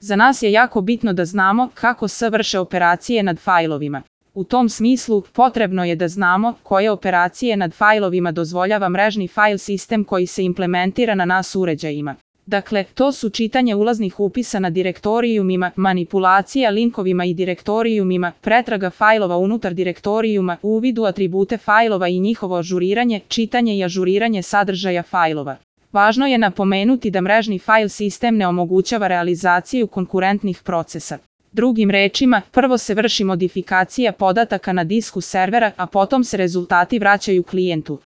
Za nas je jako bitno da znamo kako se vrše operacije nad fajlovima. U tom smislu, potrebno je da znamo koje operacije nad fajlovima dozvoljava mrežni file sistem koji se implementira na NAS uređajima. Dakle, to su čitanje ulaznih upisa na direktorijumima, manipulacija linkovima i direktorijumima, pretraga fajlova unutar direktorijuma, uvid u atribute fajlova i njihovo ažuriranje, čitanje i ažuriranje sadržaja fajlova. Važno je napomenuti da mrežni file sistem ne omogućava realizaciju konkurentnih procesa. Drugim rečima, prvo se vrši modifikacija podataka na disku servera, a potom se rezultati vraćaju klijentu.